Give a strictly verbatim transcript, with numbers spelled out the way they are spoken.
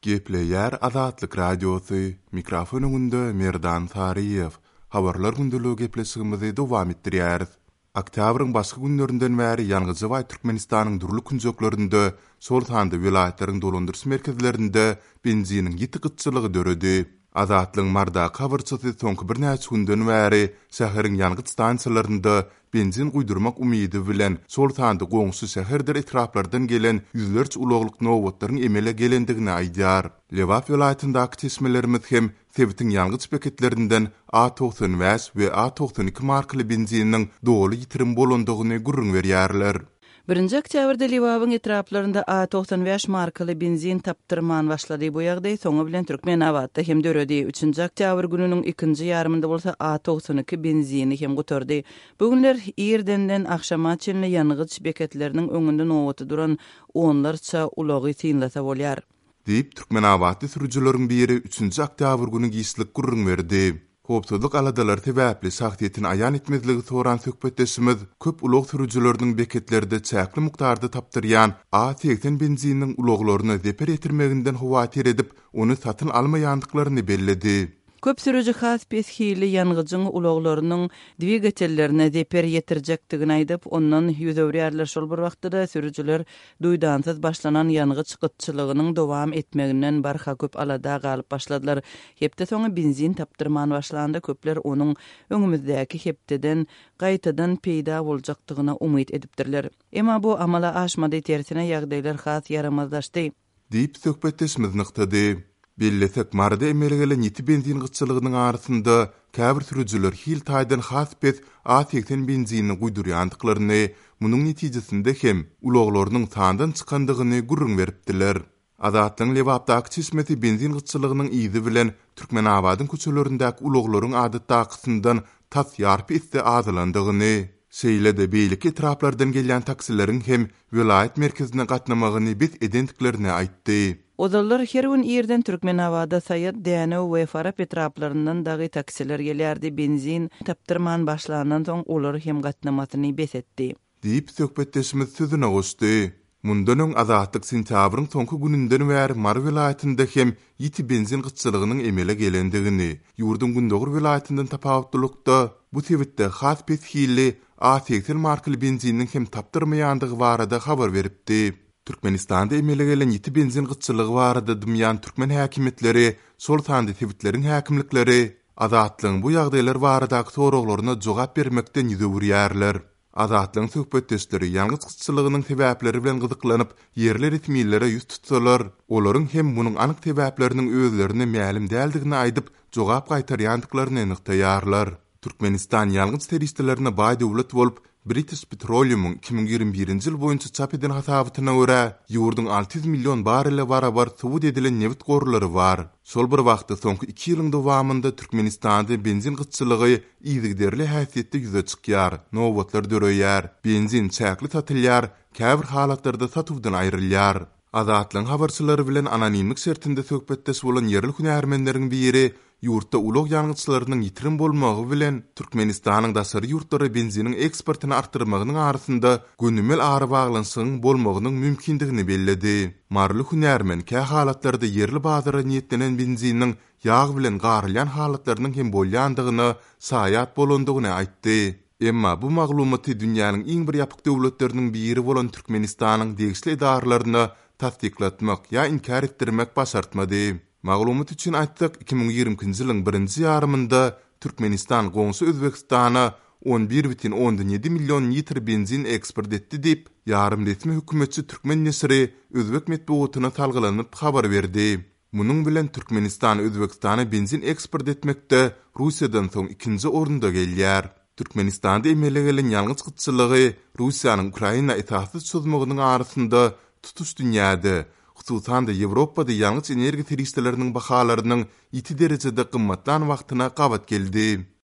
Gepleýär Azatlyk Radiosy, mikrofon öňünde Merdan Saryýew. Habarlar gündeligi gepleşigimizi dowam etdirýäris. Oktýabryň başky günlerinden bäri ýangyja baý Türkmenistanyň dürli künjeklerinde, şol sanda welaýatlaryň dolandyryş merkezlerinde benziniň ýiti gytçylygy döredi. Azatlygyň Marydaky habarçysy soňky birnäçe günden bäri şäheriň ýangyç stansiýalarynda benzin guýdurmak umydy bilen, şol sanda goňşy şäherdir etraplardan gelen ýüzlerçe ulaglyk nobatlaryň emele gelendigini aýdýar. Lebap welaýatyndaky çeşmelerimiz hem sebitiň ýangyç beketlerinden A togsan bäş we A togsan iki markaly benziniň doly ýitirim bolandygyny gürrüň berýärler. Birinji oktýabrda Lebabyň etraplarynda A togsan bäş markaly benzin tapdyrman başlady. Bu ýagdaý soňy bilen Türkmenabatda hem döredi. Üçünji oktýabr gününiň ikinji ýarymynda bolsa A togsan iki benzini hem gutardy. Bu günler irdenden agşama çenli ýangyç beketleriniň öňünde nobata duran onlarça ulagy synlasa bolýar. Diýip, Türkmenabatly sürüjileriň biri üçünji oktýabr güni giçlik gürrüň berdi. Howpsuzlyk aladalary sebäpli şahsyýetini aýan etmezligi soran söhbetdeşimiz köp ulag sürüjileriniň beketlerde çäkli mukdarda tapdyrýan A segsen benzininiň ulaglaryna zeper ýetirmeginden howatyr edip, ony satyn almaýandyklaryny belledi. Köp sürüji has pes hilli ýangyjyň ulaglarynyň dwigatellerine zeper ýetirjekdigini aýdyp, ondan ýüz öwürýärler. Şol bir wagtda-da sürüjiler duýdansyz başlanan ýangyç gytçylygynyň dowam etmeginden barha köp alada galyp başladylar. Hepde soňy benzin tapdyrman başlanda köpler onuň öňümizdäki hepdeden gaýtadan peýda boljakdygyna umyt edipdirler. Emma bu amala aşmady, tersine ýagdaýlar has ýaramazlaşdy. Diýip söhbetdeşimiz nygtady. Bellesek, Maryda emele gelen ýiti benzin gytçylygynyň arasynda käbir sürüjiler hil taýdan has pes A segsen benzinini guýdurýandyklaryny, munuň netijesinde hem ulaglarynyň sandan çykandygyny gürrüň beripdiler. Azatlygyň Lebapdaky çeşmesi benzin gytçylygynyň yzy bilen Türkmenabadyň köçelerindäki ulaglaryň adatdakysyndan tas ýarpy esse azalandygyny, şeýle-de beýleki etraplardan gelýän taksileriň hem welaýat merkezine gatnamagyny bes edendiklerini aýtdy. Ozallar her gün irden Türkmenabada Saýat, Dänew we Farap etraplaryndan dagy taksiler gelýärdi. Benzin tapdyrman başlandan soň olar hem gatnamasyny bes etdi. Diýip söhbetdeşimiz sözüne goşdy. Mundan öň Azatlyk sentýabryň soňky gününden bäri Mary welaýatynda hem ýiti benzin gytçylygynyň emele gelendigini, ýurduň gündogar welaýatyndan tapawutlylykda bu sebitde has pes hilli A segsen markaly benziniň hem tapdyrmaýandygy barada habar beripdi. Türkmenistanda emele gelen ýiti benzin gytçylygy barada dymýan türkmen häkimiýetleri, şol sanda sebitleriň häkimlikleri Azatlygyň bu ýagdaýlar baradaky soraglaryna jogap bermekden ýüz öwürýärler. Azatlygyň söhbetdeşleri ýangyç gytçylygynyň sebäpleri bilen gyzyklanyp, ýerli resmilere ýüz tutsalar, olaryň hem munuň anyk sebäpleriniň özlerine mälim däldigini aýdyp, jogap gaýtarýandyklaryny nygtaýarlar. Türkmenistan ýangyç serişdelerine baý döwlet bolup, British Petroleum-yň iki müň ýigrimi birinji ýyl boýunça çap eden hasabatyna görä, ýurduň alty ýüz million barrele barabar subut edilen nebit gorlary bar. Şol bir wagtda soňky iki ýylyň dowamynda Türkmenistanda benzin gytçylygy yzygiderli häsiýetde ýüze çykýar, nobatlar döreýär, benzin çäkli satylýar, käbir halatlarda satuwdan aýrylýar. Azatlygyň habarçylary bilen anonimlik şertinde söhbetdeş bolan ýerli hünärmenleriň biri ýurtda ulag ýangyçlarynyň ýitirim bolmagy bilen Türkmenistanyň daşary ýurtlara benziniň eksportyny artdyrmagynyň arasynda gönümel arabaglanyşygyň bolmagynyň mümkindigini belledi. Maryly hünärmen kä halatlarda ýerli bazara niýetlenen benziniň ýag bilen garylýan halatlarynyň hem bolýandygyna şaýat bolandygyny aýtdy. Emma bu maglumaty dünýäniň iň bir ýapyk döwletleriniň biri bolan Türkmenistanyň degişli edaralaryna tassyklatmak ýa inkär etdirmek başartmady. Maglumat üçin aýtsak, iki müň ýigrimi ikinji ýylyň birinji ýarymynda Türkmenistan goňşy Özbegistana on bir bütin ondan ýedi million litr benzin eksport etdi diýip, ýarym resmi hökümetçi türkmen neşiri özbek metbugatyna salgylanyp habar berdi. Munuň bilen Türkmenistan Özbegistana benzin eksport etmekde Russiýadan soň ikinji orunda gelýär. Türkmenistanda emele gelen ýangyç gytçylygy Russiýanyň Ukraina esassyz çozmagynyň arasynda tutuş dünýäde, hususan-da Ýewropada ýangyç energiýa serişdeleriniň bahalarynyň ýiti derejede gymmatlan wagtyna gabat geldi.